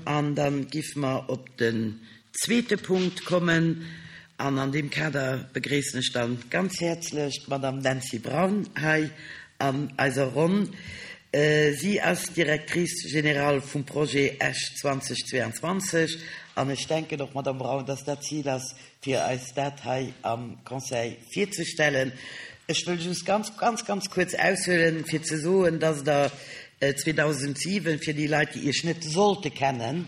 An da giffe mer op den zweete Punkt kommen. An an deem Kader begréissen ech dann ganz häerzlech d'Madame Nancy Braun hei an eiser Ronn. Si ass Directrice générale vum Projet Esch 2022. An ech denken och, Madame Braun, dass dat d'Zil ass, fir eis dat hei am Conseil virzestellen. Ech wëll just ganz, ganz, ganz kuerz aushuelen, fir ze soen, dass Der 2007, fir déi Leit, déi Iech net sollte kennen,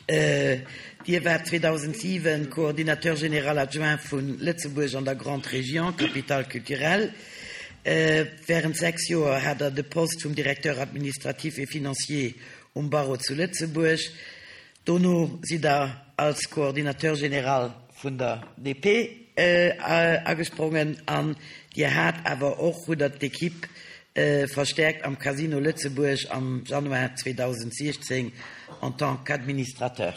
Dir waart 2007 Coordinateur général adjoint vu Lëtzebuerg an der Grande Région, Capitale culturelle. Während 6 Joer hat Der de Poste vum Directeur administratif et financier um Barreau zu Lëtzebuerg. Dono sidd Der als Coordinateur général vun der DP agesprongen an Dir hat awer och, hutt Der d'Equipe verstäerkt am Casino Lëtzebuerg am Januar 2016 en tant qu'administrateur.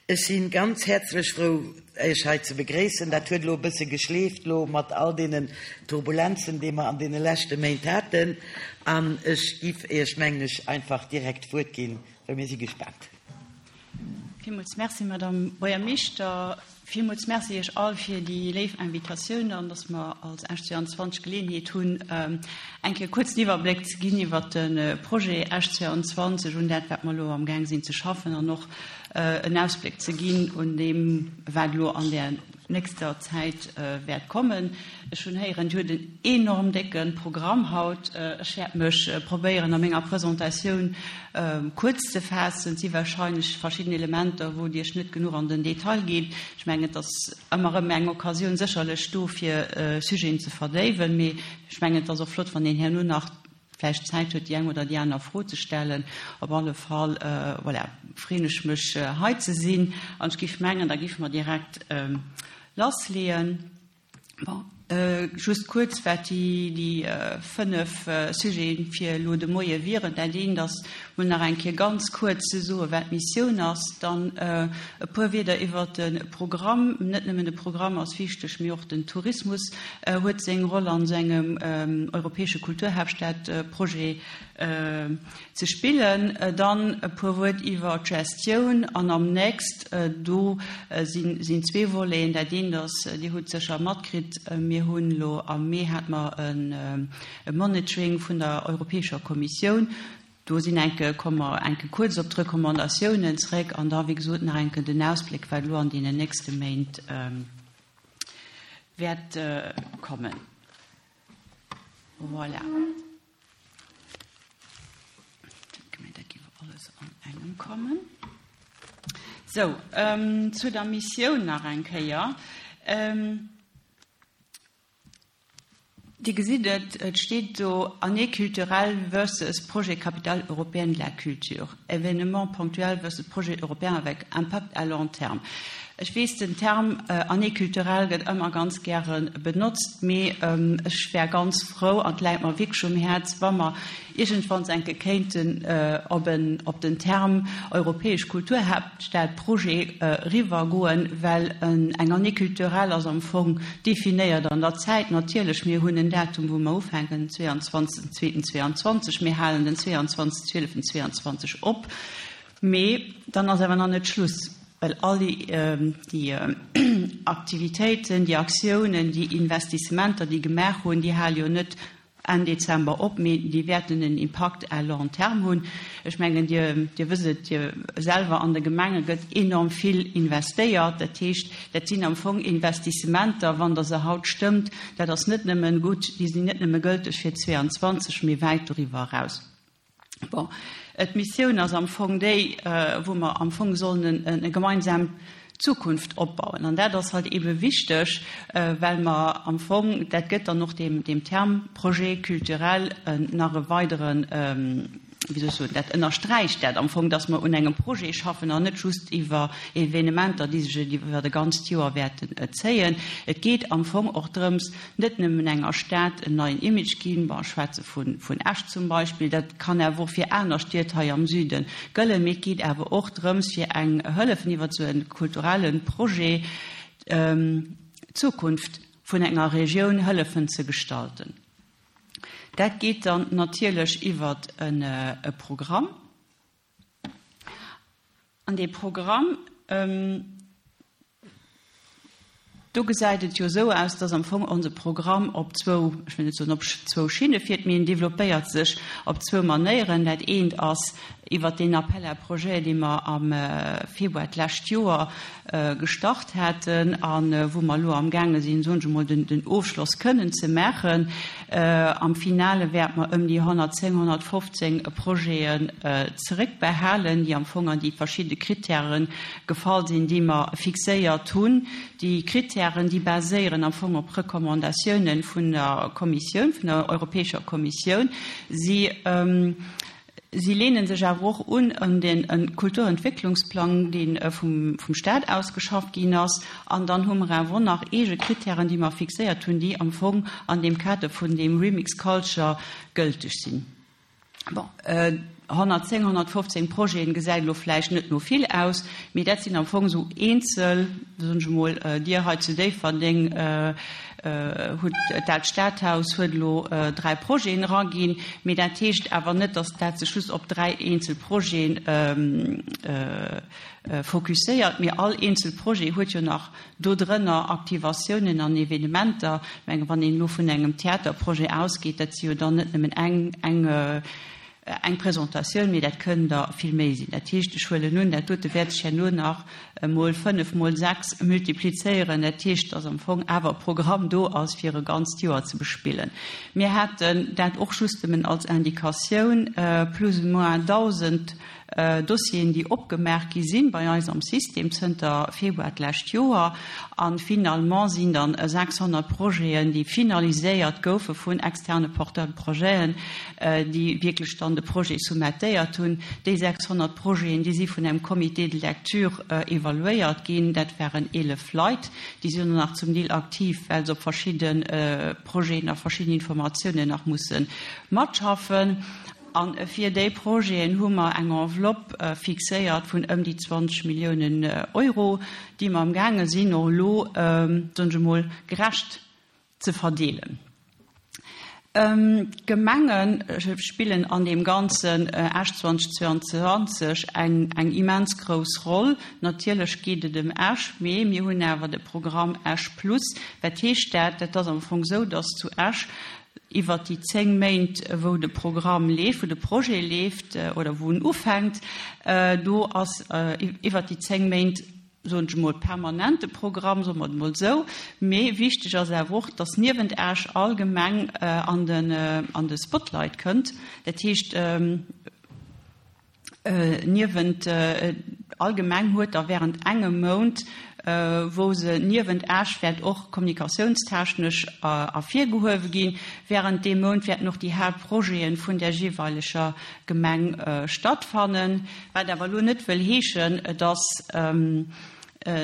Ech si ganz häerzlech frou, Iech hei ze begréissen. Dat huet elo e bësse geschleeft elo mat all deenen Turbulenzen, déi mer an deene leschte Méint haten. An ech giff Iech, mengen ech, einfach direkt d'Wuert ginn, well mir si gespaant. Villmools Merci, Madame Buergermeeschter. Villmools Merci Iech all fir déi léif Invitatioun an dass mer als Esch 22 d'Geleeënheet hunn, eng Kéier kuerz en Iwwerbléck ze ginn iwwert de Projet Esch 22, un dat, wat mer elo amgaang sinn ze schaffen an och en Ausbléck ze ginn un deem, wat elo an där nächster Zäit wäert kommen. Ech hunn héieren, Dir hutt en enorm décke Programm haut. Ech wäert mech probéieren, a menger Presentatioun kuerz ze faassen. Et si wahrscheinlech verschidden Elementer, wou Dir Iech net genuch an den Detail gitt. Ech mengen, et ass ëmmer erëm eng Occasioun sécherlech do, fir Sujeten ze verdéiwen. Mee ech mengen, et ass och flott, wann een herno nach vläicht Zäit huet, déi eng oder déi aner Fro ze stellen. Op alle Fall, voilà, freeën ech mech, hei ze sinn. An ech géif mengen, da géife mer direkt lassleeën. Bon, just kuerz, wat déi 5 Sujete fir elo de Moie wieren. Dat eent ass, mol nach eng Kéier ganz kuerz ze soen, wat d'Missioun ass. Dann e puer Wierder iwwert de Programm. Net nëmmen de Programm ass wichteg, mee och den Tourismus huet seng Roll an esou engem europäesche Kulturhaaptstadprojet ze spillen. Dann e puer Wuert iwwer d'Gestioun an am nächst, do sinn zwee Voleten. Dat eent ass, Dir hutt sécher matkritt, mir hunn elo am Mee hate mer e Monitoring vun der Europäescher Kommissioun. Do sinn enke, komme mer enke kuerz op d'Recommandatiounen zréck an da wéi gesot nach enke den Ausbléck, wat elo an deenen nächste Méint wäert kommen. Voilà. Dat géif alles an engem kommen. Sou, zu der Missioun nach eng Kéier. Dir gesitt et, et steet do Année culturelle versus Projet Capitale européenne de la culture, événement ponctuel versus projet européen avec impact à long terme. Ech weess, den Term Année culturelle gëtt ëmmer ganz gäre benotzt, mee ech wär ganz frou, an et läit mer wierklech um Häerz, wa mer iergendwanns enke kéinten op en, op den Term Europäesch Kulturhaaptstad-Projet eriwwergoen, well eng Année culturelle ass am Fong definéiert an der Zäit. Natierlech, mir hunn en Datum, wou mer ufänken, den 22.02.22, mir halen den 22.12.22 op, mee dann ass awer nach net Schluss. Well all déi Aktivitéiten, déi Aktiounen, déi Investissementer, déi gemaach hunn, déi hale jo net Enn Dezember op, mee déi wäerten en Impakt à long terme hunn. Ech mengen, Dir wësst et jo selwer, an de Gemenge gëtt enorm vill investéiert. Dat heescht, dat sinn am Fong Investissementer, wann Der se haut stëmmt, dat ass net nëmmen gutt, déi sinn net nëmme gëlteg fir 2022, mee wäit doriwwer eraus. Bon, d'Missioun ass am Fong déi, wou mer am Fong sollen eng gemeinsam Zukunft opbauen. An dat ass halt eebe wichteg, well mer am Fong, dat gëtt dann och deem, deem Term Projet culturel nach e weideren, wéi soll ech soen, dat ënnersträicht dat am Fong, dass mer un engem Projet schaffen an net just iwwer Evenementer, déi sech iwwer e ganzt Joer wäerten zéien. Et geet am Fong och drëms, net nëmmen enger Stad en neien Image ginn, bon, ech schwätze vun Esch zum Beispill, dat kann awer och fir aner Stied hei am Süde gëllen, mee et geet awer och drëms, fir eng hëllefen iwwer esou e kulturelle Projet d'Zukunft vun enger Regioun hëllefen ze gestalten. Dat geet dann natierlech iwwer e Programm. An dee Programm, do gesäit et jo esou aus, dass am Fong onse Programm op zwou, ech wëll net soen op zwou Schinne fiert, mee en développéiert sech op zwou Manéieren. Dat eent ass iwwert deen Appel à projets, dee mer am Februar d'lescht Joer gestart haten a wou mer elo amgaange sinn, soen ech emol, den Ofschloss kënnen ze maachen. Am Finale wäerte mer ëm déi 110, 115 Projeten zeréckbehalen, déi am Fong an déi verschidde Krittäre gefall sinn, déi mer fixéiert hunn. Déi Krittären, déi baséieren am Fong op Recommandatiounen vun der Kommissioun, vun der Europäescher Kommissioun. Si Si leene sech awer och un un de Kulturentwécklungsplang, dee vum Stat ausgeschafft ginn ass. An dann hu mer awer och nach eege Kritären, déi mer fixéiert hunn, déi am Fong an deem Kader vun deem Remix Culture gëlteg sinn. Bon, 110, 115 Projeten gesäit elo vläicht net no vill aus, mee dat sinn am Fong esou eenzel, soen ech emol, Dir hei zu Déifferdeng, hutt dat Stadhaus huet elo 3 Projeten eraginn, mee dat heescht awer net, datt dat sech just op 3 eenzel Projete fokusséiert, mee all eenzel Projet huet jo nach dodrënner Aktivatiounen an Evenementer. Ech menge wann een elo vun engem Theaterprojet ausgeet, dat si jo dann net nëmmen eng eng Eng Presentatioun, mee dat kënnen der vill méi sinn. Dat heescht, ech huelen un, dat dote wäert sech herno nach mol fënnef, mol sechs multiplizéieren. Dat heescht, dass am Fong awer e Programm do ass, fir e ganzt Joer ze bespillen. Mir haten dat och just nëmmen als Indikatioun, plus ou moins 1.000 Dossieren, déi opgemaach gi sinn bei eis am System zënter Februar d'lescht Joer. A finalement sinn dann 600 Projeten, déi finaliséiert goufe vun externe Porteurs de projeten, déi wierklech dann de Projet soumettéiert hunn. Déi 600 Projeten, déi si vun engem Comité de lecture evaluéiert ginn. Dat waren 11 Leit. Déi sinn och nach zum Deel aktiv, well se op verschidde Projeten a verschidden Informatiounen nach musse matschaffen. A fir déi Projeten hu mer eng Enveloppe fixéiert vun ëm déi 20 Milliounen Euro, déi mer amgaange sinn och elo, soen ech emol, gerecht ze verdeelen. D'Gemenge spillen an deem ganzen Esch 2022 eng immens grouss Roll. Natierlech geet et ëm Esch, mee mir hunn awer de Programm Esch Plus. Wat heescht dat? Dat ass am Fong esou, datt zu Esch iwwert déi 10 Méint, wou de Programm leeft, wou de Projet leeft oder wou en ufänkt, do ass iwwert déi 10 Méint, soen ech emol, permanente Programm, soe mer et emol esou. Mee wichteg ass awer och, dass niewent Esch all Gemeng an den, an de Spotlight kënnt. Dat heescht, niewent all Gemeng huet da während engem Mount, wou se niewent Esch wäert och kommunikatiounstechnesch ervirgehuewe ginn. Während deem Mount wäerten och déi Haaptprojete vun där jeeweileger Gemeng stattfannen. Wat awer elo net wëll heeschen, dass,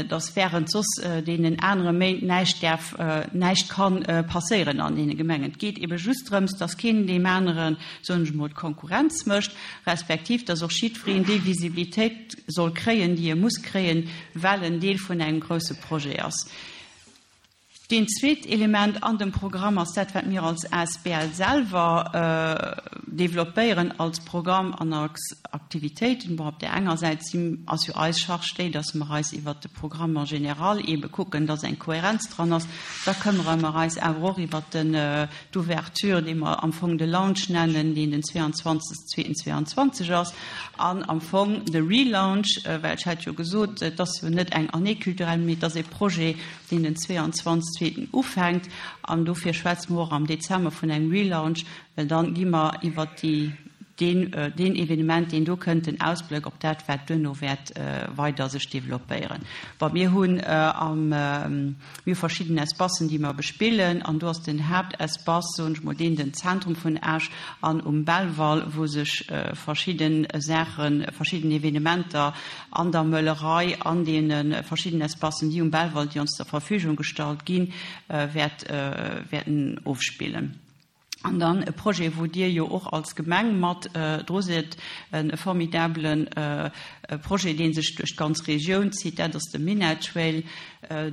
dass während soss deenen anere Méint näischt däerf, näischt ka passéieren an deene Gemengen. Et geet ebe just drëms, dass keen deem aneren, soen ech emol, d'Konkurrenz mécht, respektiv dass och jiddwereen déi Visibilitéit soll kréien, déi e muss kréien, well en Deel vun engem grouse Projet ass. Deen zweet Element an dem Programm ass dat, wat mir als asbl selwer développéieren als Programm an als Aktivitéiten. Bon, op där enger Säit si, ass jo eis Charge déi, dass mer eis iwwert de Programme en général eebe kucken, dass eng Kohärenz dran ass. Da këmmere mer eis awer och iwwert den, d'Ouverture, dee mer am Fong de Launch nennen, deen den 22.02.22 ass, an am Fong de Relaunch, well ech hat jo gesot, et ass jo net eng Année culturelle, mee et ass e Projet, deen den 22 zweeten ufänkt, an dofir schwätze mer och am Dezember vun engem Relaunch, well dann gi mer iwwert déi, deen, deen Evenement, deen do kënnt, den Ausblëck op dat, wat duerno wäert weider sech developpéieren. Bon, mir hunn am, mir hu verschidden Espacen, déi mer bespillen, an do ass den Haaptespace, soen ech mol, deen den Zentrum vun Esch an um Belval, wou sech verschidde Saachen, verschidden Evenementer an der Möllerei, an deene verschidden Espacen, déi um Belval, déi ons zur Verfügung gestallt ginn, wäert, wäerten ofspillen. An dann e Projet, wou Dir jo och als Gemeng mat dru sidd, e formidabele Projet, dee sech duerch d'ganz Regioun zitt, dat ass de Minett-Trail.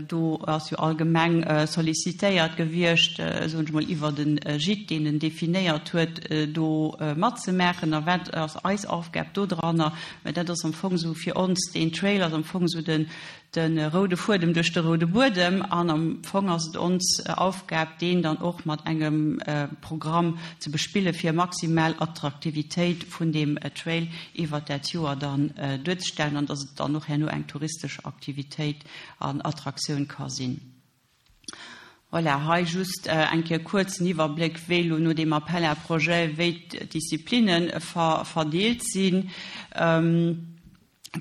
Do ass jo all Gemeng sollicitéiert gewiescht, soen ech mol, iwwert e Gîte, deen en definéiert huet, do matzemaachen. A wat ass eis Aufgab dodranner? Mä dat ass am Fong esou fir ons, deen Trail ass am Fong esou den, de roude Fuedem duerch de roude Buedem an am Fong ass et ons Aufgab, deen dann och mat engem Programm ze bespille fir maximal Attraktivitéit vun deem Trail iwwert dat Joer dann duerzestellen an dass et dann och herno eng touristesch Aktivitéit an Attraktioun ka sinn. Voilà, hei just eng Kéier kuerz en Iwwerbléck, wéi elo no deem Appel à projets, wéi d'Disziplinne verdeelt sinn.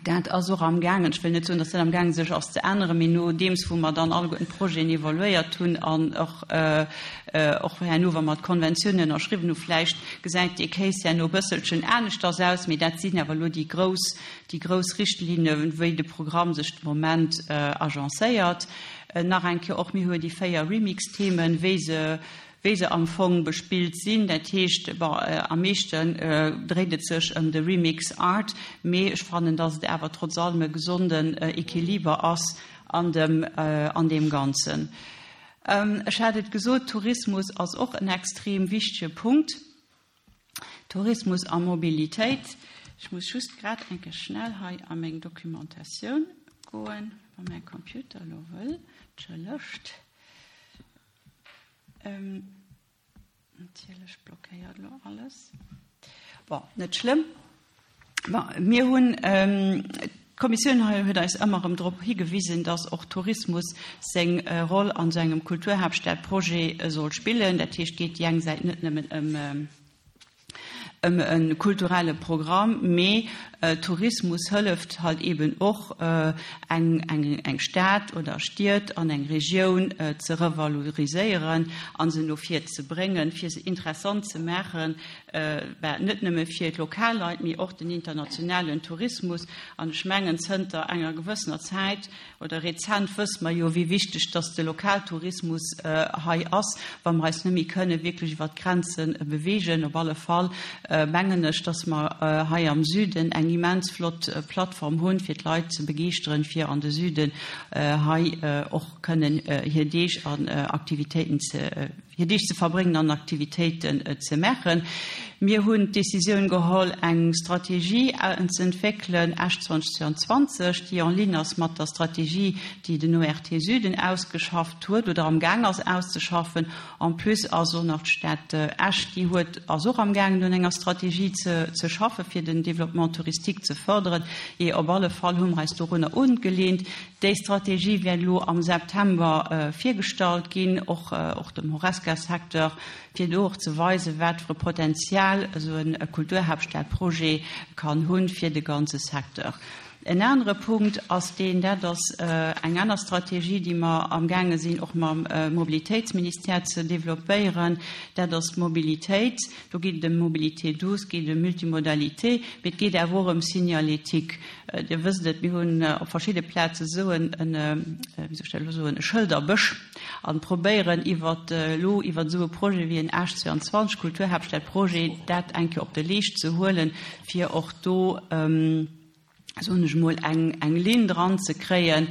Dat ass och amgaangen, ech wëll net soen, datt dat amgaangen sech ass ze änneren, mee nodeems wou mer dann alleguerten d'Projeten evaluéiert hunn an och och herno, wa mer d'Konventiounen ënnerschriwwen hu vläicht gesäit dee Case herno e bësselchen aneschters aus, mee dat sinn awer elo déi grouss, déi grouss Richtlinnen, wéi de Programm sech de Moment agencéiert. Nach eng Kéier och, mir hu jo déi 4 Remix-Themen, wéi se wéi se am Fong bespillt sinn. Dat heescht, bon, am meeschten dréit et sech ëm de Remix Art, mee ech fannen, dass et awer trotz allem e gesonden Equiliber ass an dem, an deem Ganzen. Ech hat et gesot, Tourismus ass och en extrem wichtege Punkt. Tourismus a Mobilitéit. Ech muss just grad eng Kéier schnell hei a meng Documentatioun goen, wa mäi Computer elo wëll. Entschëllegt. Natierlech blockéiert elo alles. Bon, net schlëmm. Bon, mir hunn, d'Kommissioun hei huet eis ëmmer erëm drop higewisen, dass och Tourismus seng Roll an esou engem Kulturhaaptstadprojet soll spillen. Dat heescht, et geet déi eng Säit net nëmmen ëm, ëm e kulturelle Programm, mee Tourismus hëlleft halt eben och eng eng Stad oder Stied an eng Regioun ze revaloriséieren a se no vir ze bréngen, fir se interessant ze maachen, net nëmme fir d'lokal Leit, mee och den internationalen Tourismus. An ech mengen, zënter enger gewëssener Zäit, Oder rezent wësse mer jo, wéi wichteg dass de Lokaltourismus hei ass, wa mer eis net méi kënne wierklech iwwert d'Grenze beweegen. Op alle Fall mengen ech, dass mer hei am Süden eng immens flott Plattform hunn, fir d'Leit ze begeeschteren, fir an de Süden hei och kënnen hir Deeg an Aktivitéiten ze hir Deeg ze verbréngen an Aktivitéiten ze maachen. Mir hunn d'Decisioun geholl, eng Strategie ze entwéckelen, Esch 2022, déi en ligne ass mat der Strategie, déi den ORT Süden ausgeschafft huet oder amgaang ass auszeschaffen. En plus ass och nach d'Stad Esch, déi huet, ass och amgaangen un enger Strategie ze schaffen, fir den Développement touristique ze fërderen. Jee, op alle Fall hu mer eis dorunner ugeleent. Déi Strategie wäert elo am September virgestallt ginn, och och dem Horesca-Secteur, fir do och ze weisen, wat fir e Potenzial esou e Kulturhaaptstadprojet kann hunn fir de ganze Secteur. En anere Punkt ass deen, dat ass eng aner Strategie, déi mer amgaange sinn och mam Mobilitéitsministère ze developpéieren, dat ass d'Mobilitéit. Do geet et ëm Mobilité douce, geet ëm Multimodalité, mee et geet awer och ëm Signalétique. Dir wësst et, mir hunn op verschidde Plaze esou en, wéi soll ech dat elo soen, e Schëlderbësch an probéieren iwwer elo iwwer esou e Projet wéi en Esch 22, Kulturhaaptstadprojet, dat eng Kéier op de Leescht ze huelen, fir och do, soen ech emol, eng, eng Linn dran ze kréien.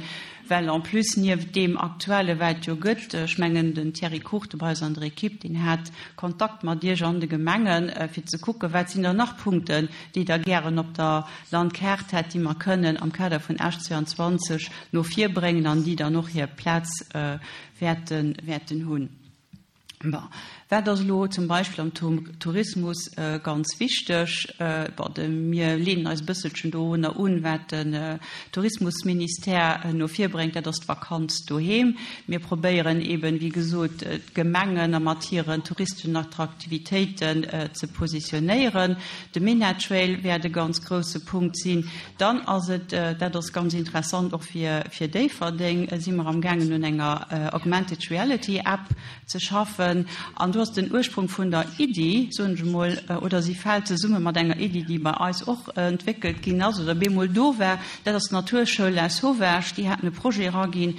Well en plus nieft deem Aktuelle wat jo gëtt, ech mengen den Thierry Cruchten bei eis an der Equipe, deen hat Kontakt mat Iech an de Gemengen, fir ze kucken, wat sinn dann nach Punkten, déi Der gären op der Landkaart hätt, déi mer kënnen am Kader vun Esch 22 no vir bréngen an déi dann och hir Plaz wäerten hunn. Bon, wat ass elo zum Beispill am Tourismus ganz wichteg? Bon, de, mir leenen eis e bësselchen dorunner un, wat den Tourismusministère no vir bréngt, dat ass d'Vakanz doheem. Mir probéieren eeben, wéi gesot, d'Gemengen a mat hiren touristeschen Attraktivitéiten ze positionéieren. De MENA Trail wäert e ganz grousse Punkt sinn. Dann ass et, dat ass ganz interessant och fir, fir Déifferdeng, si mer amgaangen un enger Augmented Reality App ze schaffen. haten. An do ass den Ursprung vun der Iddi, soen ech emol, oder si fält zesumme mat enger Iddi, déi bei eis och entwéckelt ginn ass oder bemol do war, dat ass d'Naturschoul Lasauvage. Déi haten e Projet eraginn,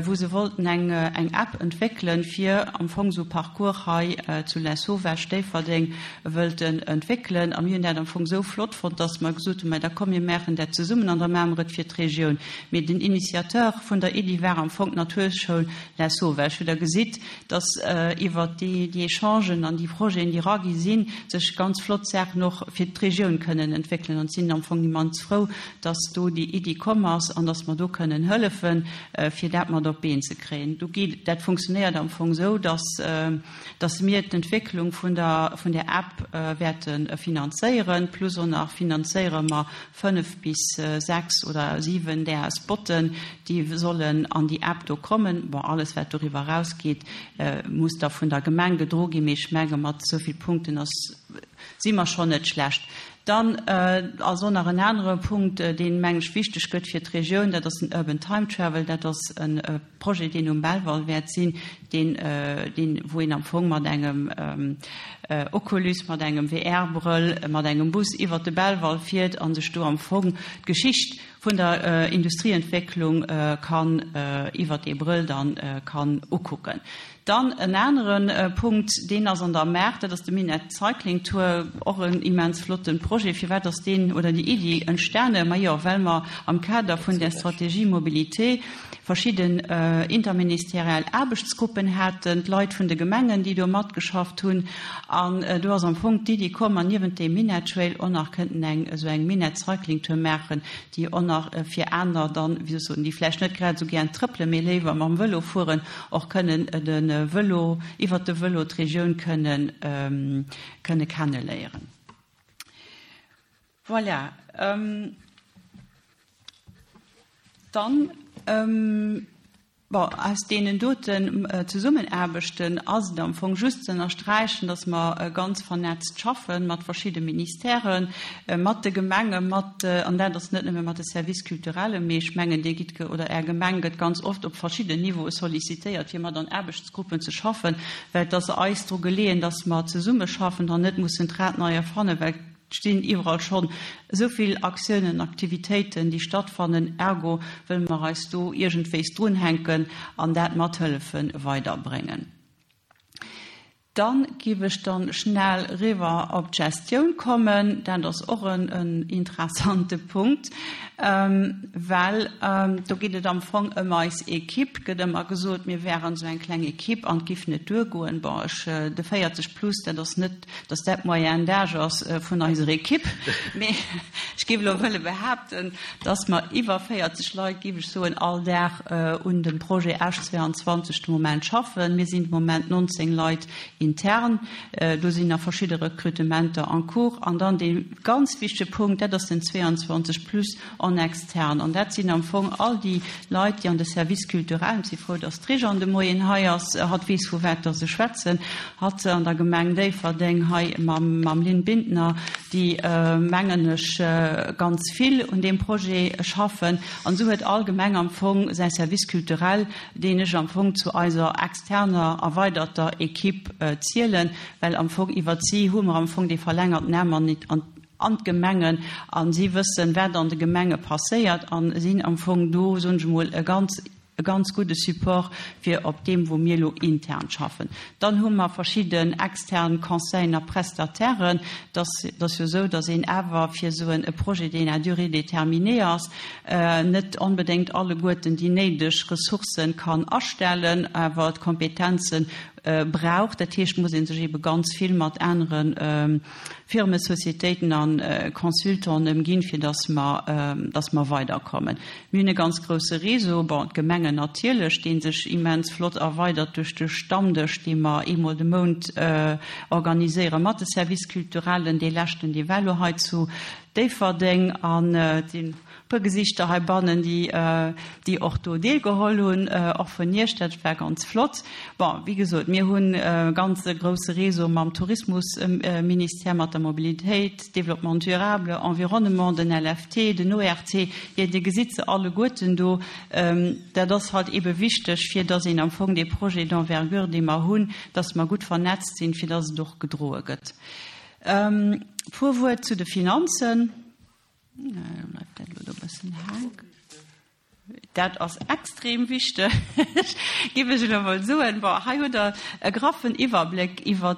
wou se wollten eng eng App entwéckelen, fir am Fong esou Parcours hei zu Lasauvage, Déifferdeng, wëllten entwéckelen. A mir hunn dat am Fong esou flott fonnt, dass mer gesot hunn, Mä da komm, mir maachen dat zesummen an da maache mer et fir d'Regioun. Mee den Initiateur vun der Iddi war am Fong d'Naturschoul Lasauvage. Wou Der gesitt, dass iwwert déi Echangen an déi Projeten, déi eragi sinn, sech ganz flott Saachen och fir d'Regioun kënnen entwéckelen. An sinn am Fong immens frou, dass do déi Iddi komm ass an dass mer do kënnen hëllefen, fir dat mat op d'Been ze kréien. Do geet, dat funktionéiert am Fong esou, dass, dass mir d'Entwécklung vun der, vun där App wäerte finanzéieren, plus och nach finanzéiere mer 5 bis 6 oder 7 där Spotten, déi sollen an déi App do kommen. Bon, alles wat doriwwer erausgeet, muss da vun der Gemeng gedro ginn, mee ech menge mat esou vill Punkten ass, si mer schonn net schlecht. Dann ass och nach en anere Punkt, deen, meng ech, wichteg gëtt fir d'Regioun, dat ass den Urban Time Travel. Dat ass e Projet, deen um Belval wäert sinn, deen, deen, wou een am Fong mat engem Oculus, mat engem VR-Brëll, mat engem Bus iwwert de Belval fiert a sech do am Fong d'Geschicht vun der Industrieentwécklung kann iwwert dee Brëll dann kann ukucken. Dann en anere Punkt, deen ass an der Maach, dat ass de Minett Cycling Tour, och en immens flotte Projet. Firwat ass deen oder déi Iddi entstane? Majo, well mer am Kader vun där Stratégie Mobilité verschidden interministeriell Aarbechtsgruppen haten, d'Leit vun de Gemengen, déi do matgeschafft hunn. An do ass am Fong d'Iddi komm, mer niewent deem Minett Trail och nach kënnten eng esou eng Minett Cycling Tour maachen, déi och nach fir aner dann, wéi soll ech soen, déi vläicht net grad esou gären trëppelen, mee léiwer mam Vëlo fueren, och kënnen de Vëlo, iwwert de Vëlo d'Regioun kënnen, kënne kenneléieren. Voilà. Dann, bon, aus deenen doten Zesummenaarbechten ass et am Fong just ze ënnersträichen, dass mer ganz vernetzt schaffe mat verschidde Ministèren, mat de Gemenge mat, an dat ass net nëmme mat de Services culturellen, mee ech mengen, Dir gitt, oder Är Gemeng gëtt ganz oft op verschidden Niveaue sollicitéiert, fir mat an Aarbechtsgruppen ze schaffen, well et ass eis dru geleeën, dass mer zesummeschaffen an net mussen d'Rad nei erfannen, well et stinn iwwerall schonn esou vill Aktiounen, Aktivitéiten, déi stattfannen. Ergo wëlle mer eis do iergendwéis drunhänken an dat mat hëllefe weiderbréngen. Dann giff ech dann schnell riwwer op d'Gestioun kommen. Dat ass och en interessante Punkt, well do geet et am Fong ëm eis Equipe. Gëtt ëmmer gesot, mir wären esou eng kleng Equipe an et giff net duergoen. Bon, ech, de 40 plus, dat ass net, dass dat d'Moyenne d'âge ass vun eiser Equipe, mee ech géif elo wëlle behaapten, dass mer iwwer 40 Leit, géif ech soen, all Dag un dem Projet Esch 22 de Moment schaffen. Mir sinn de Moment 19 Leit intern. Do sinn nach verschidde Recrutementer en cours. An dann dee ganz wichtege Punkt, dat ass den 22 plus en externe. An dat sinn am Fong all déi Leit, déi an de Services culturels, ech si frou, dass d'Réjeanne de Moien hei ass, hatt weess, vu wat dass ech schwätzen, hatt an der Gemeng Déifferdeng hei mam Lynn Bintner, déi, mengen ech, ganz vill un deem Projet schaffen. An esou huet all Gemeng am Fong säi Service culturel, deen ech am Fong zu eiser externer erweiderter Equipe zielen, well am Fong iwwert si hu mer am Fong dee verlängerten Aarm an an d'Gemengen a si wëssen, wat an de Gemenge passéiert a sinn am Fong do, soen ech emol, e ganz, e ganz gudde Support fir op deem, wou mir elo intern schaffen. Dann hu mer verschidden extern Conseillen a Prestatairen. Et ass, et ass jo esou, datt een awer fir esou e Projet, deen à durée déterminée ass, net onbedéngt alleguerten déi néideg Ressourcë kann astellen, awer d'Kompetenze brauch. Dat heescht, muss ee sech eebe ganz vill mat anere Firmen, Sociétéiten a Consultanten ëmginn, fir dass mer, dass mer weiderkommen. Mir hunn e ganz grouse Réseau, bon, d'Gemengen natierlech, dee sech immens flott erweidert duerch de Stammdësch, dee mer eemol de Mount organiséiere mat de Services culturellen, dee leschten, dee war elo hei zu Déifferdeng an et sinn. puer Gesichter heibannen, déi, déi och do deelgeholl hunn, och vun Iech. Dat war ganz flott. Bon, wéi gesot, mir hunn e ganze grouse Réseau mam Tourismusministère, mat der Mobilitéit, Développement durable, Environnement, den LFT, den ORT. Jo, Dir gesitt se alleguerten do. Dat ass halt eebe wichteg, fir dass een am Fong dee Projet d'envergure, dee mer hunn, dass mer gutt vernetzt sinn, fir dass et och gedroe gëtt. E puer Wuert zu de Finanzen. Bleift dat elo do e bëssen hänken? Dat ass extrem wichteg, géif ech elo emol soen. Bon, hei hutt Der e graffen Iwwerbléck iwwer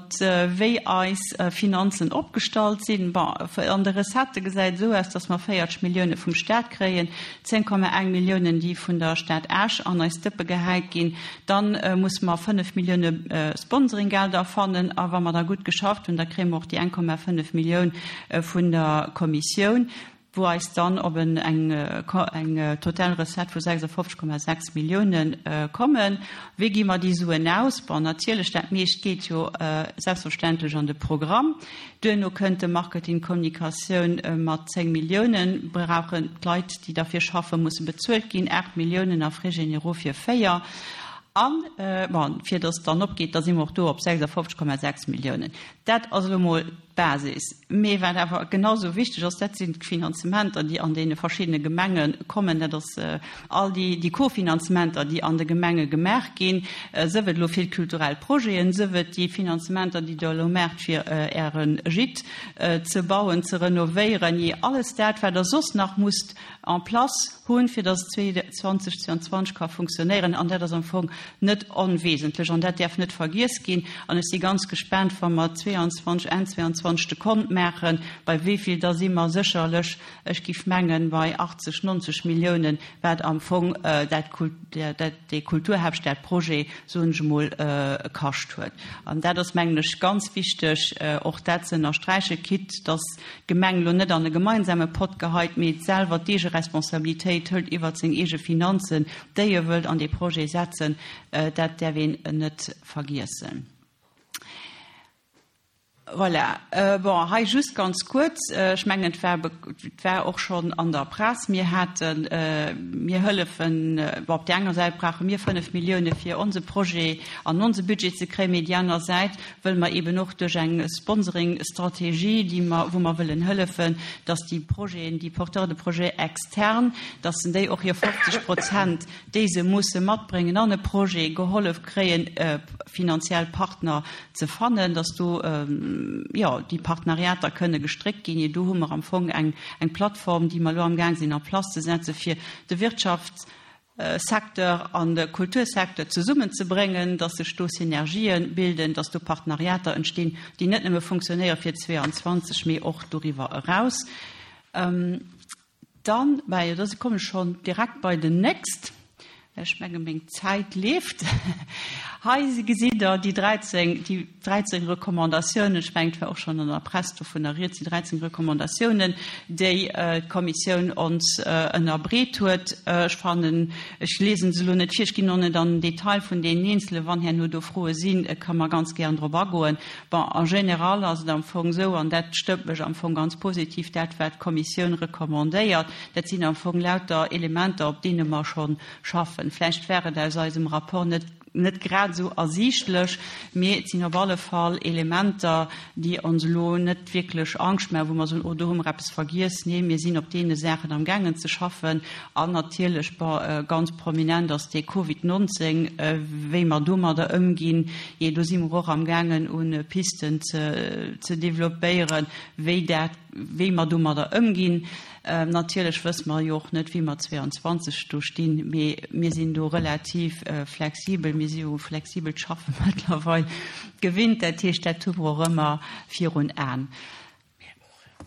wéi eis Finanzen opgestallt sinn. Bon, an de Recettë gesäit et esou aus, dass mer 40 Millioune vum Stat kréien, 10,1 Milliounen, déi vun der Stad Esch an eis Dëppe gehäit ginn. Dann musse mer 5 Millioune Sponsoringgelder fannen a wa mer da gutt geschafft hunn, da kréie mer och déi 1,5 Millioun vun der Kommissioun, wou eis dann op eng eng total Recette vu 56,6 Millioune kommen. Wéi gi mer déi Suen aus? Bon, natierlech, dat meescht geet jo selbstverständlech an de Programm. Duerno kënnt de Marketing, Kommunikatioun mat 10 Milliounen, brauchen d'Leit, déi derfir schaffen, musse bezuelt ginn, 8 Milliounen a Frais généraux fir 4. An, bon, fir datt et dann opgeet, da si mer och do op 56,6 Milliounen. Dat ass elo mol d'Basis. Mee wat awer genau sou wichteg ass, dat sinn d'Finanzementer, déi an deene verschiddene Gemenge kommen. Dat ass all déi Kofinanzementer, déi an de Gemenge gemaach ginn, sëf et elo fir d'kulturell Projeten, sëf et déi Finanzementer, déi Der elo maacht, fir Äre Gîte ze bauen, ze renovéieren, jee alles dat, wat Der soss nach musst en place hunn, fir dass et 2022 ka funktionéieren. An dat ass am Fong net onwesentlech an dat däerf net vergiess ginn. An ech si ganz gespaant, wa mer 22, Enn 22 de Kont maachen, bei wéi vill, da si mer sécherlech, ech géif mengen, bei 80, 90 Milliounen, wat am Fong dat, dat, dee Kulturhaaptstadprojet, soen ech emol, kascht huet. An dat ass, mengen ech, ganz wichteg, och dat ze ënnersträichen, quitte dass d'Gemeng elo net an e gemeinsame Pott geheit, mee selwer d'Eegeresponsabilitéit hëlt iwwert seng eege Finanzen, déi e wëllt an dee Projet setzen. Dat däerf een net vergiessen. Voilà. Bon, hei just ganz kuerz, ech mengen, et war, et war och schonn an der Press, mir haten, mir hëllefen, bon, op där enger Säit brauche mir 5 Millioune fir onse Projet an onse Budget ze kréien, mee déi aner Säit wëlle mer eeben och duerch eng Sponsoringstrategie, déi mer, wou mer wëllen hëllefen, dass déi Projeten, déi Porteurs de projets externes, dass en déi och hir 50 Prozent, déi se musse matbréngen an e Projet, gehollef kréien, finanziell Partner ze fannen, dass do, jo, déi Partenariater kënne gestréckt ginn. Jo, do hu mer am Fong eng, eng Plattform, déi mer elo amgaang sinn en place ze setzen, fir de Wirtschaftssecteur an de Kultursecteur zesummenzebréngen, dass sech do Synergien bilden, dass do Partenariater entstinn, déi net nëmme funktionéiere fir 22, mee och doriwwer eraus. Dann, bah jo, da kommen ech schonn direkt bei den nächst, well ech menge meng Zäit leeft. Hei gesitt Der déi 13, déi 13 Recommandatiounen, ech mengen, et war och schonn an der Press dovunner rieds, déi 13 Recommandatiounen, déi d'Kommissioun ons ënnerbreet huet. Ech fannen, ech liese se elo net vir, ech ginn och net an den Detail vun deenen eenzelen. Wann herno do Froe sinn, ka mer ganz gären drop agoen. Bon, en général ass et am Fong esou, an dat stëmmt mech am Fong ganz positiv, dat wat d'Kommissioun recommandéiert, dat sinn am Fong lauter Elementer, op deene mer scho schaffen. Vläicht war et aus eisem Rapport net, net grad esou ersiichtlech, mee et sinn op alle Fall Elementer, déi ons elo net wierklech Angscht maachen, wou mer soen, oh do hu mer eppes vergiess. Nee, mir sinn op deene Saachen amgaangen ze schaffen. An natierlech, bon, ganz prominent ass dee Covid 19, wéi mer domadder ëmginn. Jee, do si mer och amgaangen un Pisten ze developpéieren, wéi dat, wéi mer domadder ëmginn. Natierlech wësse mer jo och net, wéi mer 22 do stinn, mee mir sinn do relativ flexibel. Mir si jo u flexibelt Schaffe mëttlerweil gewinnt, dat heescht, dat hu mer och ëmmer virun Aen.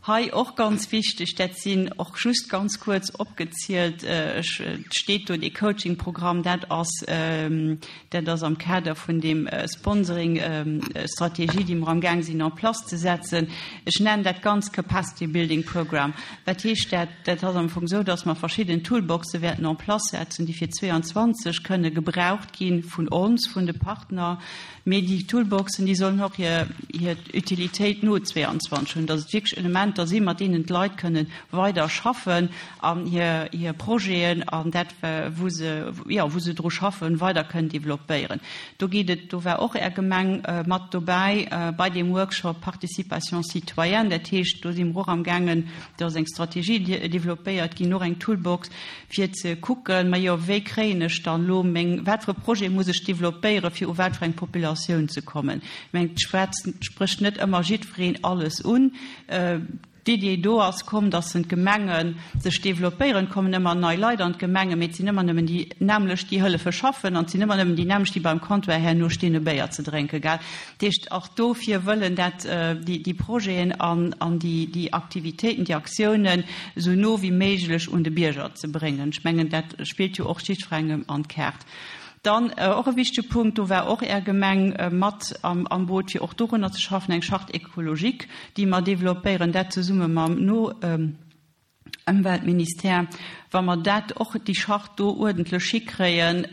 Hei och ganz wichteg, dat sinn och just ganz kuerz opgezielt, ech, et steet do dee Coaching-Programm, dat ass, dat ass am Kader vun deem Sponsoring-Strategie, déi mer amgaang sinn en place ze setzen. Ech nennen dat ganz Capacity Building Program. Wat heescht dat? Dat ass am Fong esou, dass mer verschidden Toolboxe wäerten en place setzen, déi fir 22 kënne gebraucht gi vun ons, vun de Partner, Mee déi Toolboxen, déi sollen och hir, hir Utilitéit no 22 hunn, dass et wierklech Elementer. Elementer sinn, mat deenen d'Leit kënnen weider schaffen an hir, hir Projeten an dat, wou se, jo, wou se dru schaffen, weider kënnen developpéieren. Do geet et, do war och Är Gemeng mat dobäi bei deem Workshop Participation citoyenne. Dat heescht, do si mer och amgaangen, do ass eng Strategie developpéiert ginn, och eng Toolbox, fir ze kucken, majo, wéi kréien ech dann elo meng, wat fir e Projet muss ech developpéieren, fir u wat fir eng Populatioun ze kommen. Ech mengen, et schwätzt, sprécht net ëmmer jiddwereen alles un. D'Idee do ass komm, dass en d'Gemenge sech developpéieren. Et kommen ëmmer nei Leit an d'Gemenge, mee et sinn ëmmer nëmmen déi nämmlecht, déi hëllefe schaffen an et sinn ëmmer nëmmen déi nämmlecht, déi beim Comptoir herno stinn, e Béier ze drénken, gell. Dat heescht, och dofir wëllen dat déi Projeten an déi Aktivitéiten, déi Aktiounen esou no wéi méiglech un de Bierger ze bréngen. Ech mengen, dat spillt jo och jiddwerengem an d'Kaart. Dann och e wichtege Punkt, do war och Är Gemeng mat am Boot, fir och dorunner ze schaffen, eng Charte écologique, déi mer developpéieren, dat zesumme mam no Ëmweltministère. Wa mer dat och, déi Charte do uerdentlech hikréien,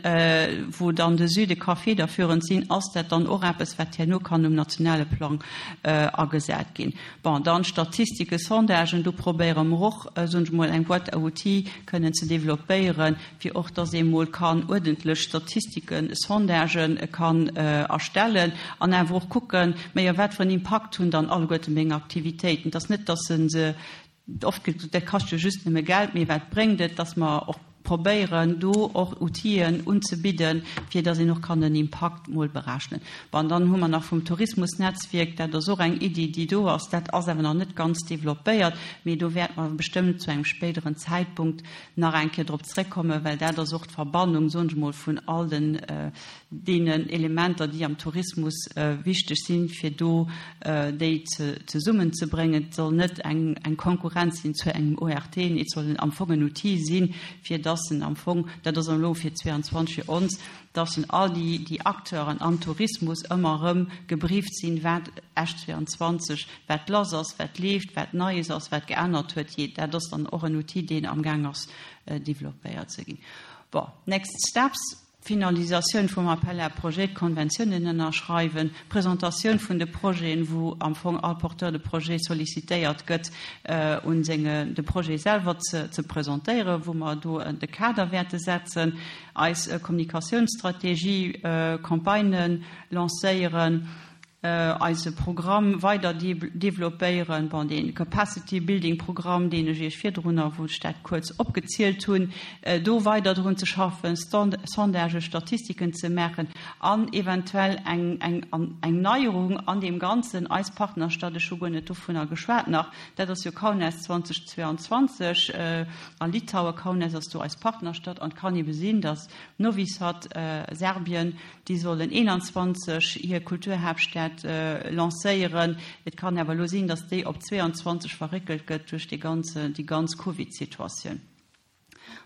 wou dann de Süde ka federführend sinn, ass dat dann och eppes, wat herno kann um nationale Plang agesat ginn. Bon, dann Statistike, Sondagen, do probéiere mer och, soen ech emol, eng Boîte à outils kënnen ze developpéieren, fir och dass ee mol kann uerdentlech Statistiken, Sondagen kann erstellen an awer och kucken, majo wat fir en Impakt hunn dann alleguerte meng Aktivitéiten. Et ass net, dass se se, oft gëtt gesot, dat kascht jo just nëmme Geld, mee wat bréngt et, dass mer och probéieren do och Outile unzebidden, fir dass een och kann den Impakt mol berechnen. Bon, dann hu mer nach vum Tourismusnetzwierk, dat ass och eng Iddi, déi do ass, dat ass awer nach net ganz developpéiert, mee do wäerte mer bestëmmt zu engem spéideren Zäitpunkt nach eng Kéier drop zréckkommen, well dat ass och d'Verbannung, soen ech emol, vun all den deenen Elementer, déi am Tourismus wichteg sinn, fir do déi zesummenzebréngen. Et soll net eng Konkurrenz sinn zu engem ORT, nee, et soll am Fong en Outil sinn, fir dass en am Fong, dat ass elo fir 22 fir ons, dass en all déi Acteuren am Tourismus ëmmer erëm gebrieft sinn, wat Esch 22 wat lass ass, wat leeft, wat Neies ass, wat geännert huet, jee, dat ass dann och en Outil, deen amgaang ass developpéiert ze ginn. Bon, next steps, Finalisatioun vum Appel à projets, d'Konventiounen ënnerschreiwen, Presentatioun vun de Projeten, wou am Fong all Porteur de projet sollicitéiert gëtt, un senge de Projet selwer ze presentéieren, wou mer do de Kader wäerte setzen, eis Kommunikatiounsstrategie, Campagnen lancéieren, eise Programm weider developpéieren, bon, dee Capacity Building Programm, deen ech Iech virdrunner, wou ech dat kuerz opgezielt hunn, do weider drun ze schaffen, Sondagen, Statistiken ze maachen an eventuell eng, eng, eng Neierung an deem Ganzen, eis Partnerstadt, ech hu guer net dovunner geschwat nach, dat ass jo Kaunas 2022 a Litauen, Kaunas ass do eis Partnerstadt an et kann ebe sinn, datt Novi Sad, Serbien, Déi sollen 21 hir Kulturhaaptstad lancéieren. Et kann awer elo sinn, datt déi op 22 verréckelt gëtt duerch dee ganze, déi ganz Covid-Situatioun.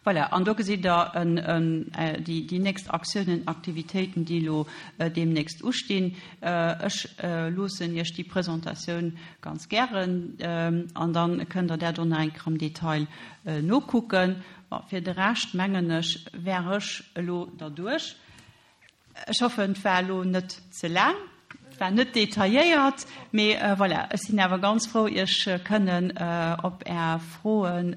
Voilà, an do gesitt Der déi nächst Aktiounen, Aktivitéiten, déi elo deemnächst ustinn. Ech loossen Iech déi Presentatioun ganz gären an da kënnt Der dat och nach eng Kéier am Detail nokucken. Bon, fir de Rescht, mengen ech, wär ech elo derduerch. Ech hoffen, et war elo net ze laang, et war net detailléiert, mee voilà, ech sinn awer ganz frou, Iech kënnen op Är Froen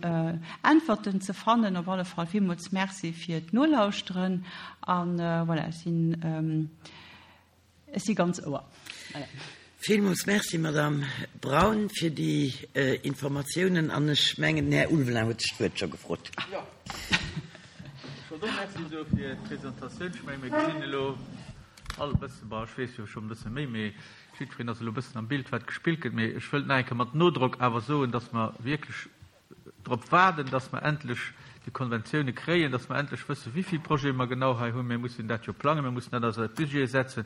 Äntwerten ze fannen. Op alle Fall villmools Merci fir d'Nolauschteren a voilà, ech sinn. Ech si ganz Ouer. Voilà. Villmools Merci, Madamm Braun, fir déi Informatiounen. An ech mengen, den Här Ulveling huet sech d'Wuert scho gefrot. Jo, ech wollt och Merci soe fir d'Presentatioun. Ech menge mir gesinn elo all e bëssen, bon, ech weess jo schonn e bësse méi, mee jiddwereen ass elo e bëssen am Bild, wat gespillt gëtt. Mee ech wëllt nach eng Kéier mat Nodrock awer soen, dass mer wierklech drop waarden, dass mer endlech déi Konventioune kréien, dass mer endlech wëssen, wéi vill Projete mer genau hei hunn. Mir mussen dat jo plangen, mir mussen dat a eis Budgete setzen.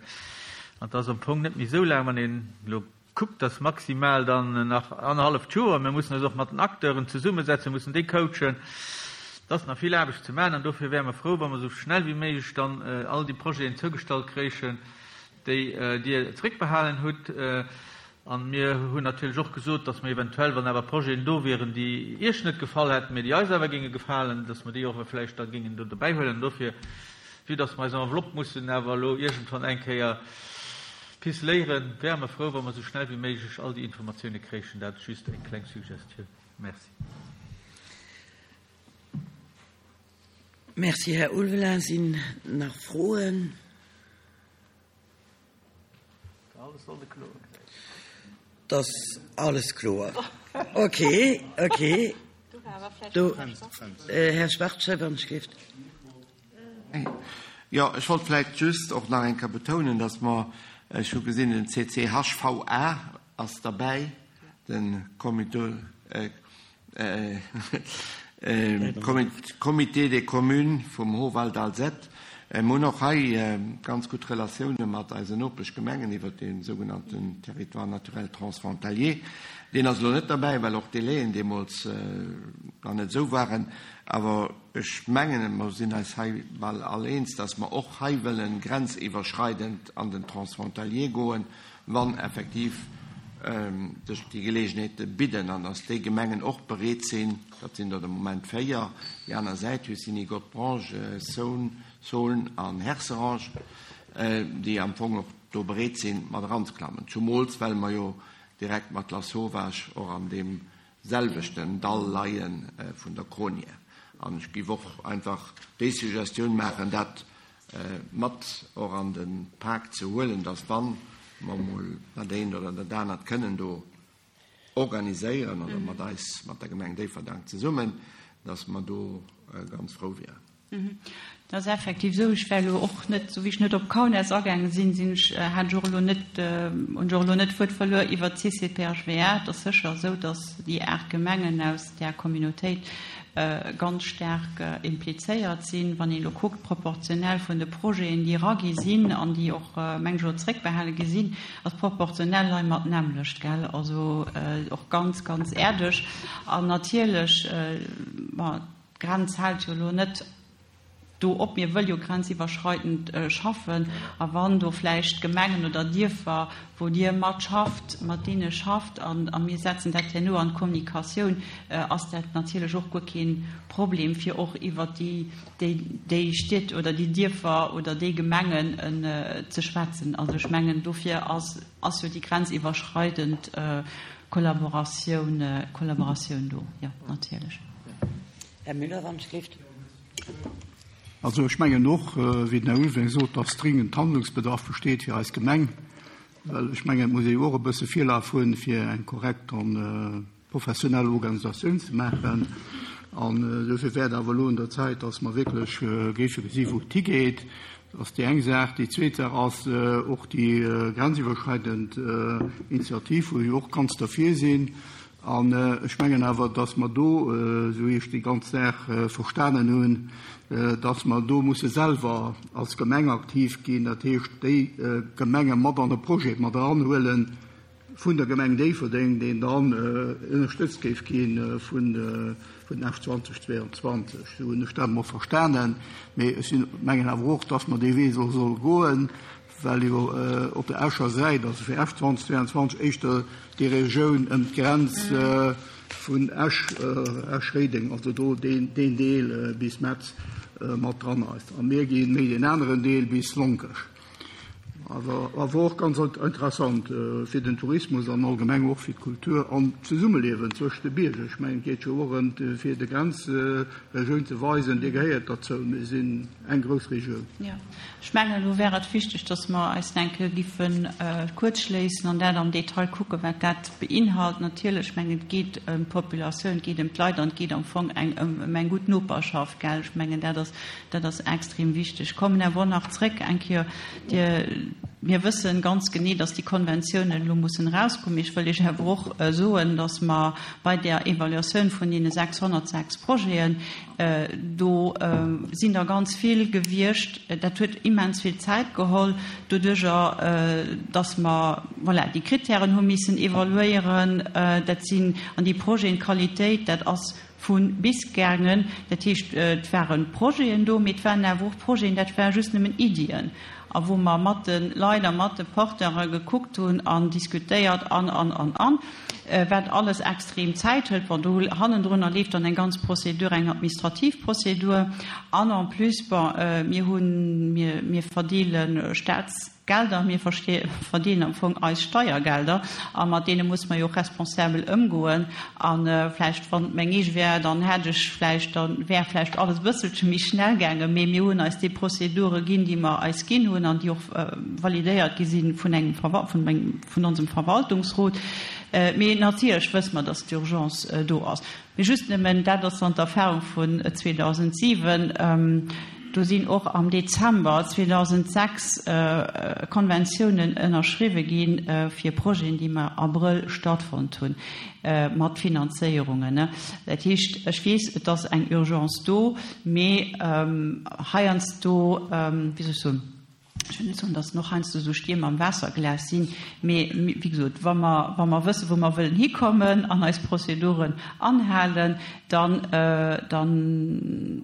An et ass am Fong net méi esou laang, wann een elo kuckt, dass maximal dann nach annerhalleft Joer. Mir mussen eis och mat den Acteuren zesummesetzen, mussen déi coachen. Et ass nach vill Aarbecht ze maachen an dofir wäre mer frou, wa mer esou schnell wéi méiglech dann all déi Projeten zougestallt kréichen, déi Dir zréckbehalen hutt. A mir hunn natierlech och gesot, dass mer eventuell, wann awer Projeten do wieren, déi Iech net gefall hätten, mee déi eis awer géinge gefalen, dass mer déi och vläicht da géingen do dobäihuelen. An dofir, vue dass mer eis Enveloppe mussen awer elo iergendwann eng Kéier. Ficeléieren, wäre mer frou, wa mer esou schnell wéi méiglech all déi Informatioune kréichen. Dat just eng kleng Suggestioun. Merci. Merci, Här Ulveling. Sinn nach Froen? Et ass alles kloer. Okay, okay. Do, Här Schwarzscher, wann ech gelift. Jo, ech wollt vläicht just och nach eng Kéier betounen, dass mer, ech hu gesinn, den CCHVA ass derbäi, de Comité, Comité des communes vum Hohwald Alzette. Mir hunn och hei ganz gutt Relatioune mat eisen Nopeschgemengen iwwert dee sougenannten Territoire naturel transfrontalier. Deen ass elo net derbäi, well och d'Délaien deemools nach net esou waren. Awer ech mengen, mer sinn eis hei bal all eens, dass mer och hei wëllen grenziwwerschreidend an den Transfrontalier goen, wann effektiv sech déi Geleegenheete bidden an dass déi Gemengen och bereet sinn, dat sinn der de Moment 4, déi aner Säit, Hussigny, Godbrange, Saône, Saulnes an Herserange, déi am Fong och do bereet sinn, mat eranzeklammen, zumools well mer jo direkt mat Lasauvage och an deem selwechten Dall leie vun der Cronière. An ech géif och einfach déi Suggestioun maachen, dat mat och an de Pak ze huelen, dass wann mer emol dat eent oder dat anert kënnen do organiséieren oder mat eis, mat der Gemeng Déifferdang zesummen, dass mer do ganz frou wieren. Dat ass effektiv esou. Ech war elo och net, esou wéi ech net op Kaunas agaange sinn, sinn ech, hat ech och elo net, hunn ech och elo net d'Wuert verluer iwwert d'CCPHVA. Et ass sécher esou, dass déi 8 Gemengen aus där Communautéit ganz staark implizéiert sinn. Wann een elo kuckt, proportionell vun de Projeten, déi eragi sinn an déi och, meng ech, elo zréckbehale gi sinn, ass proportionell hei mat d'nämmlecht, gell? Also och ganz, ganz äerdeg. An natierlech, bon, d'Grenz hält jo elo net do op, mir wëlle jo grenziwwerschreidend schaffen. A wann do vläicht Gemengen oder Dierfer, wou Dir mat schafft, mat deene schafft, a mir setzen dat herno an d'Kommunikatioun, ass dat natierlech och guer kee Problem, fir och iwwert déi, déi Stied oder déi Dierfer oder déi Gemengen ze schwätzen. Also ech mengen, dofir ass, ass jo déi grenziwwerschreidend Kollaboratioun, Kollaboratioun do, jo, natierlech. Här Müller, wann ech gelift. Also ech mengen och, wéi den Här Ulveling sot, dass dringend Handlungsbedarf besteet fir eis Gemeng, well ech mengen, et muss ee jo och e bësse Virlaf hunn, fir eng korrekt an professionell Organisatioun ze maachen. An dofir wär et awer elo un der Zäit, dass mer wierklech géife gesi wou et higeet. Dat ass déi eng Saach. Déi zweet Saach ass och déi grenziwwerschreidend Initiativ, wou ech och ganz derfir sinn. An ech mengen awer, dass mer do, esou wéi ech déi ganz Saach verstanen hunn, dass mer do musse selwer als Gemeng aktiv ginn, dat heescht déi Gemenge mat an e Projet mat eranhuelen vun der Gemeng Déifferdeng, deen dann ënnerstëtzt géif gi vun Esch 2022. Esou hunn ech dat emol verstanen. Mee ech sinn, mengen awer och, dass mer dee Wee solle goen, well jo op der Escher Säit, also fir Esch 2022, éischter déi Regioun ëm d'Grenz vun Esch, Esch-Réideng, also do deen Deel bis Metz mat dran ass. A mir gi méi deen aneren Deel bis Lonkech. Awer och ganz interessant fir den Tourismus an allgemeng och fir d'Kultur an d'Zesummeliewen zwëscht de Bierger. Ech mengen, et geet jo och ëm fir de Grenzregioun ze weisen, Dir gehéiert derzou, mir sinn eng grouss Regioun. Ech mengen, elo wär et wichteg, dass mer eis eng Kéier giffe kuerzschléissen an dat am Detail kucken, wat dat beinhalt. Natierlech, ech mengen, et geet ëm d'Populatioun, et geet ëm d'Leit an et geet am Fong eng ëm eng gutt Noperschaft, gell? Ech mengen, dat ass, dat ass extrem wichteg. Ech kommen awer och nach zréck eng Kéier, Dir, mir wëssen ganz genee, dass déi Konventiounen elo mussen erauskommen. Mee ech wëll Iech awer och soen, dass mer bei där Evaluatioun vun deene 606 Projeten, Do sinn der ganz vill gewiescht. Dat huet immens vill Zäit geholl, doduerjer datt mer, voilà, déi Krittären hu missen evaluéieren. Dat sinn an déi Projeten, d'Qualitéit, dat ass vu bis gaangen. Dat heescht, et ware Projeten do, mee et waren awer och Projeten, dat ware just nëmmen Iddien a wou mer mat de Leit a mat de Porteure gekuckt hunn an diskutéiert an, an, an, an. Wat alles extrem Zäit hëlt. Bon, do hannendrunner leeft dann eng ganz Procédure, eng administrativ Procédure. An en plus, bon, mir hunn, mir, mir verdeele Staatsgelder. Gelder, mir verdeelen am Fong eis Steiergelder a mat deene musse mer jo och responsabel ëmgoen. A vläicht, wann et meng eege wär, dann hätt ech vläicht, da wär vläicht alles e bësselche méi schnell gaangen. Mee mir hunn eis déi Prozedure ginn, déi mer eis ginn hunn an déi och validéiert gi si vun engem, vun engem, vun onsem Verwaltungsrot. Mee natierlech wësse mer, dass d'Urgence do ass. Mee just nëmmen, dat ass dann d'Erfahrung vun 2007, do sinn och am Dezember 2006 Konventiounen ënnerschriwwe gi fir Projeten, déi am Abrëll stattfonnt hunn, mat Finanzéierungen. Dat heescht, ech weess, et ass eng Urgence do, mee heiansdo, wéi soll ech soen, Ech wëll net soen, datt en och heiansdo esou Stierm am Waasserglas sinn, mee wéi gesot, wa mer, wa mer wëssen, wou mer wëllen hikommen an eis Prozeduren anhalen, dann, dann,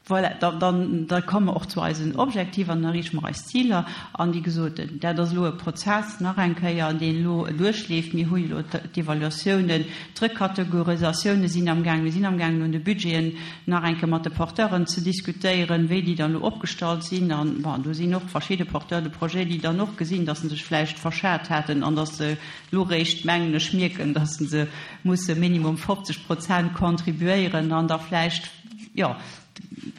voilà, da, dann, da komme mer och zu eisen Objektiver an dann erreeche mer eis Ziler. An wéi gesot, dat ass elo e Prozess, nach eng Kéier, deen elo duerchleeft. Mir hu jo elo d'Evaluatiounen, D'Rekategorisatioune sinn am Gaang. Mir sinn am Gaangen un de Budgeten nach eng Kéier mat de Porteuren ze diskutéieren, wéi déi dann elo opgestallt sinn. An, bon, do sinn och verschidde Porteurs de projet, déi dann och gesinn, datt se sech vläicht verschat haten an datt se elo réischt, mengen ech, mierken, datt se musse minimum 50 Prozent contribuéieren an da vläicht, jo,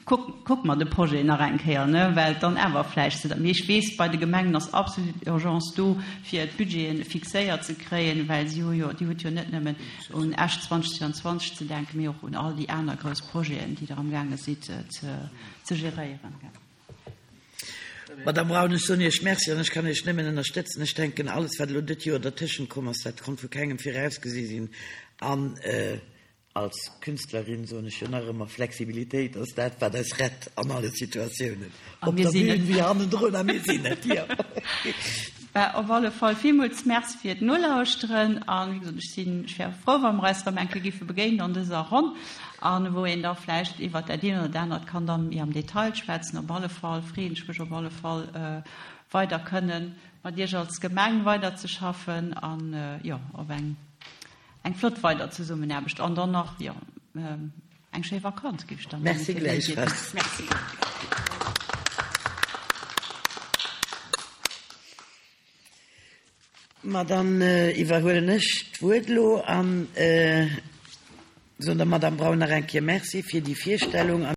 Kuck, kucke mer de Projet nach eng Kéier, ne, well et dann awer vläicht ze. Mee ech weess, bei de Gemengen ass absolut Urgence do, fir d'Budgete fixéiert ze kréien, well si hu jo, Dir hutt jo net nëmmen un Esch 2022 ze denken, mee och un all déi aner grouss Projeten, déi Der amgaange sidd ze geréieren. Madame Braun, ech soen Iech Merci an ech kann Iech nëmmen ënnerstëtzen. Ech denken, alles, wat elo dët Joer dertëschent komm ass, dat konnt vu kengem virausgesi sinn. An Als Künstlerin soen ech jo nach ëmmer, Flexibilitéit ass dat, wat eis rett an alle Situatiounen, op der Bühn wéi hannendrun. A mir sinn et, jo. Bah, op alle Fall villmools Merci fir d'Nolauschteren. An, wéi gesot, ech sinn, ech wär frou, wa mer eis erëm eng Kéier géife begéinen an dëser Ronn a wou een da vläicht iwwert dat eent oder dat anert kann da méi am Detail schwätzen. Op alle Fall freeën ech mech op alle Fall, weider kënnen mat Iech als Gemeng weiderzeschaffen an, jo, op eng Eng flott weider Zesummenaarbecht an dann nach, jo, eng schéi Vakanz géif ech dann Merci gläichfalls. Merci. Ma dann iwwerhuelen ech d'Wuert elo an soen der Madame Braun nach eng Kéier Merci fir déi Virstellung.